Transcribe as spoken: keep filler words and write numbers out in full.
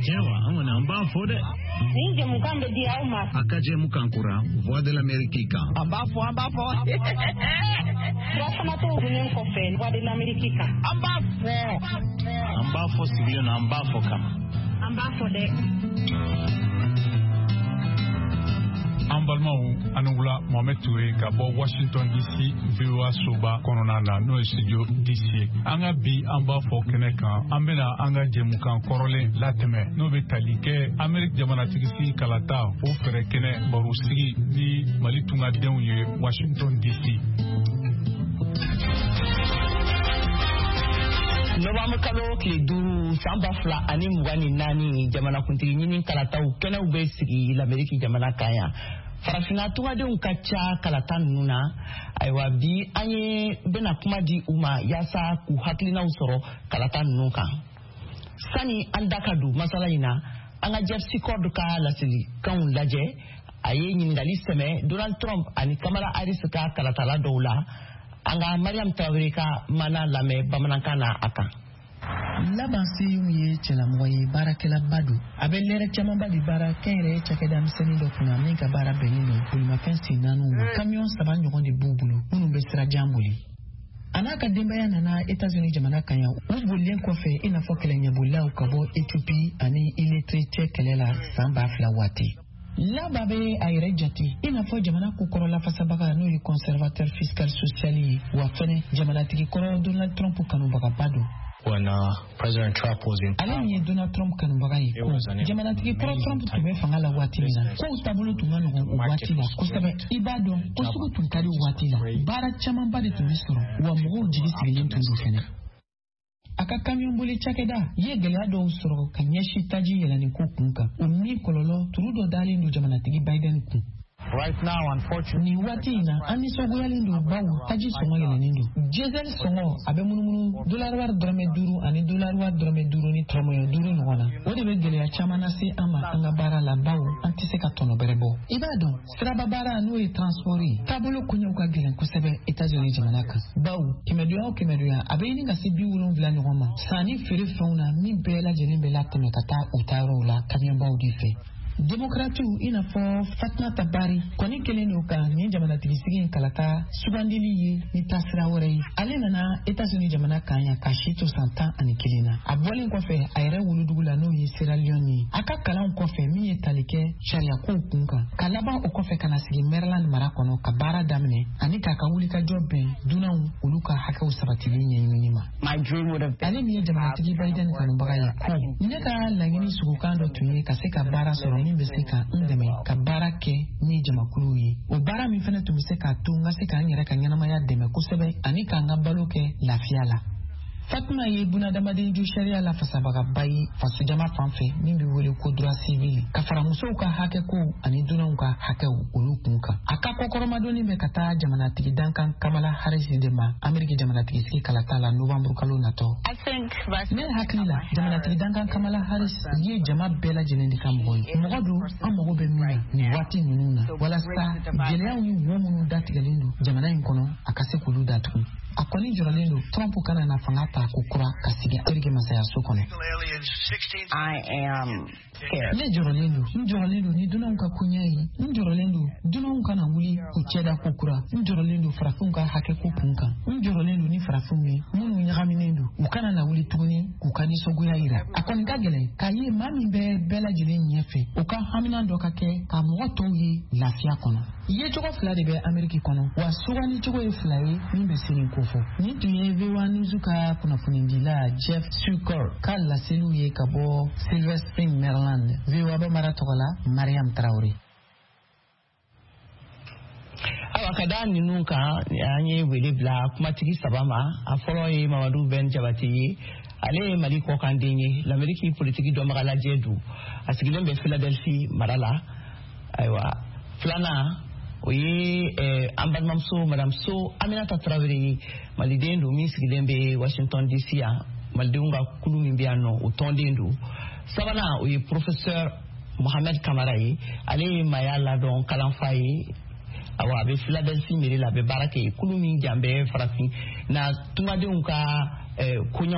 Ayiwa, an kɔni an b'a fɔ dɛ. Nin jɛmukan bɛ di aw ma. A ka jɛmukan kura Voix de l'Amérique kan. An b'a fɔ, an b'a fɔ. Furafanatɔw dunnen kɔfɛ Voix de l'Amérique kan. An b'a fɔ. An b'a fɔ sigilen na, an b'a fɔ kama. An b'a fɔ dɛ. An balimaw, ani wula. Mohamed Touré ka bɔ Washington D C, V O A soba kɔnɔna na, n'o ye studio D C ye. An ka bi an b'a fɔ kɛnɛ kan, an bena an ka jɛmukan kɔrɔlen latɛmɛ, n'o be tali kɛ Amerik jamanatigisigi kalata o fɛɛrɛ kɛnɛ barosigi ni Mali tungadenw ye Washington D C. Nɔbanburu kalo tile duuru san ba fila ani mugan ni naani, jamanakuntigi ɲini kalataw kɛnɛw bɛ sigi Lameriki jamana kan yan. Farafinna tungadenw ka ca kalata ninnu na. Ayiwa, bi an ye bɛna kuma di u ma yaasa k'u hakilinaw sɔrɔ kalata ninnu kan. Sani an da ka don masala in na, an ka Jeff Secord ka laselikanw lajɛ. A ye ɲininkali sɛmɛ Donald Trump ani Kamala Harris ka kalatala dɔw la. An ka Mariam Tarawele ka mana lamɛn bamanankan na a kan. Laban Seyum ye cɛlamɔgɔ ye, baarakɛlaba don. A bɛ lɛrɛ camanba de baara kɛnyɛrɛye cakɛda misɛnnin dɔ kunna min ka baara bɛnnen don bolimafɛn sen naaniw ma. Kamiyɔn saba ɲɔgɔn de b'u bolo minnu bɛ sira jan boli. A n'a ka denbaya nana Etats-Unis jamana kan yan, u bolilen kɔfɛ i n'a fɔ kɛlɛɲɛbolilaw ka bɔ Ethiopie ani Érythrée cɛ kɛlɛ la san ba fila waati. Laba bɛ a yɛrɛ jate i n'a fɔ jamana kokɔrɔ lafasabaga, n'o ye conservateur fiscal social ye, wa fɛnɛ jamanatigi kɔrɔ Donald Trump kanubagaba don. When uh, President Trump was in Ale min ye Donald Trump kanubaga ye ko jamanatigi kɔrɔ Trump tun bɛ fanga la waati min na, kow taabolo tun ka nɔgɔn o waati la kosɛbɛ. I b'a dɔn ko sugu tun ka di o waati la, baara camanba de tun bɛ sɔrɔ, wa mɔgɔw jigi sigilen tun don fɛnɛ. A ka kamiyɔn boli cakɛda ye gɛlɛya dɔw sɔrɔ ka ɲɛsin taji yɛlɛnni ko kun kan, o min kɔlɔlɔ turu dɔ dalen don jamanatigi Biden kun. Right now, unfortunately, Nin waati in na, an nisɔngoyalen don bawo taji sɔngɔ yɛlɛnnen don. Diesel sɔngɔ a bɛ munumunu dolari wari dɔrɔmɛ duuru ani dolari wari dɔrɔmɛ duuru ni tɔrɔmɔɲɔ duuru ɲɔgɔn na. O de bɛ gɛlɛya caman lase an ma an ka baara la, bawo an tɛ se ka tɔnɔ bɛrɛ bɔ. I b'a dɔn, siraba baara, n'o ye transport ye, taabolo koɲɛw ka gɛlɛn kosɛbɛ Etats-Unis jamana kan, bawo kɛmɛdonya o kɛmɛdonya, a bɛ ɲini ka se bi wolonwula ɲɔgɔn ma sanni feere fɛnw na min bɛɛ lajɛlen bɛ latɛmɛ ka taa u taayɔrɔw la kamiyɔnbaw de fɛ. Demokratiw i n'a fɔ Fatumata Bari kɔni kelen don ka nin jamanatigisigi in kalata sugandili ye ni taasira wɛrɛ ye. Ale nana Etats-Unis jamana kan yan ka si to san tan ani kelen na. A bɔlen kɔfɛ a yɛrɛ wolodugu la, n'o ye Sierra Leone ye, a ka kalanw kɔfɛ min ye tali kɛ sariyakow kun kan, ka laban o kɔfɛ ka na sigi Maryland mara kɔnɔ ka baara daminɛ ani k'a ka wulikajɔ bɛn dunanw olu ka hakɛw sabatili ɲɛɲinini ma. Ale min ye jamanatigi Biden kanubaga ye ko ne ka laɲini sugukan dɔ tun ye ka se ka baara sɔrɔ min bɛ se ka n dɛmɛ ka baara kɛ ni jamakuluw ye, o baara min fɛnɛ tun bɛ se k'a to n ka se k'an yɛrɛ ka ɲɛnamaya dɛmɛ kosɛbɛ ani k'an ka balo kɛ lafiya la. Fatuma ye bunadamaden ju sariya lafasabagaba ye fasojama fan fɛ min bɛ wele ko droit civil, ka fara musow ka hakɛkow ani dunanw ka hakɛw olu kun kan. A ka kɔkɔrɔmadonni bɛ ka taa jamanatigi dankan Kamala Harris de ma Ameriki jamanatigisigi kalata la novanburu kalo natɔ. Ne hakili la, jamanatigi dankan Kamala Harris ye jama bɛɛ lajɛlen de ka mɔgɔ ye, mɔgɔ don an mago bɛ min na nin waati ninnu na, walasa gɛlɛyaw ni wo minnu datigɛlen don jamana in kɔnɔ, a ka se k'olu datugu. A kɔni jɔrɔlen don Trump kana na fanga ta ko kura ka sigi Ameriki masayaso kɔnɔ. Ne jɔrɔlen don, n jɔrɔlen don ni dunanw ka koɲɛ ye. N jɔrɔlen don dunanw kana wuli k'u cɛda ko kura. N jɔrɔlen don farafinw ka hakɛ ko kun kan. N jɔrɔlen don ni farafinw ye minnu ɲagaminen don, u kana na wuli tuguni k'u ka nisɔngoya yira. A kɔni ka gɛlɛn k'a ye maa min bɛ bɛɛ lajɛlen ɲɛfɛ, o ka hamina dɔ ka kɛ ka mɔgɔ tɔw ye lafiya kɔnɔ. Yecogo fila de bɛ Ameriki kɔnɔ, wa sugandicogo ye fila ye min bɛ se nin kofɔ. Nin tun ye V O A News ka kunnafonidila Jeff Sukor ka laseliw ye ka bɔ Silver Spring, Maryland. V O A Bamara tɔgɔ la, Mariam Tarawele. Ayiwa, ka da ninnu kan, an ye wele bila kumatigi saba ma. A fɔlɔ ye Mamadu Bɛn Jabate ye. Ale ye Mali kɔkanden ye, Lameriki politiki dɔnbaga lajɛ don, a sigilen bɛ Philadelphie mara la. Ayiwa, filanan, o ye eh, an balimamuso Madame So Aminata Tarawele ye, maliden don min sigilen bɛ Washington D C yan, malidenw ka kulu min bɛ yan nɔ, o tɔnden don. Sabanan, o ye professeur Mohamed Kamara ye. Ale ye maaya ladɔn kalanfa ye. Awa, a bɛ Philadelphie mairie la, a bɛ baara kɛ yen, kulu min jan bɛ farafin na tungadenw ka eh, koɲɛw.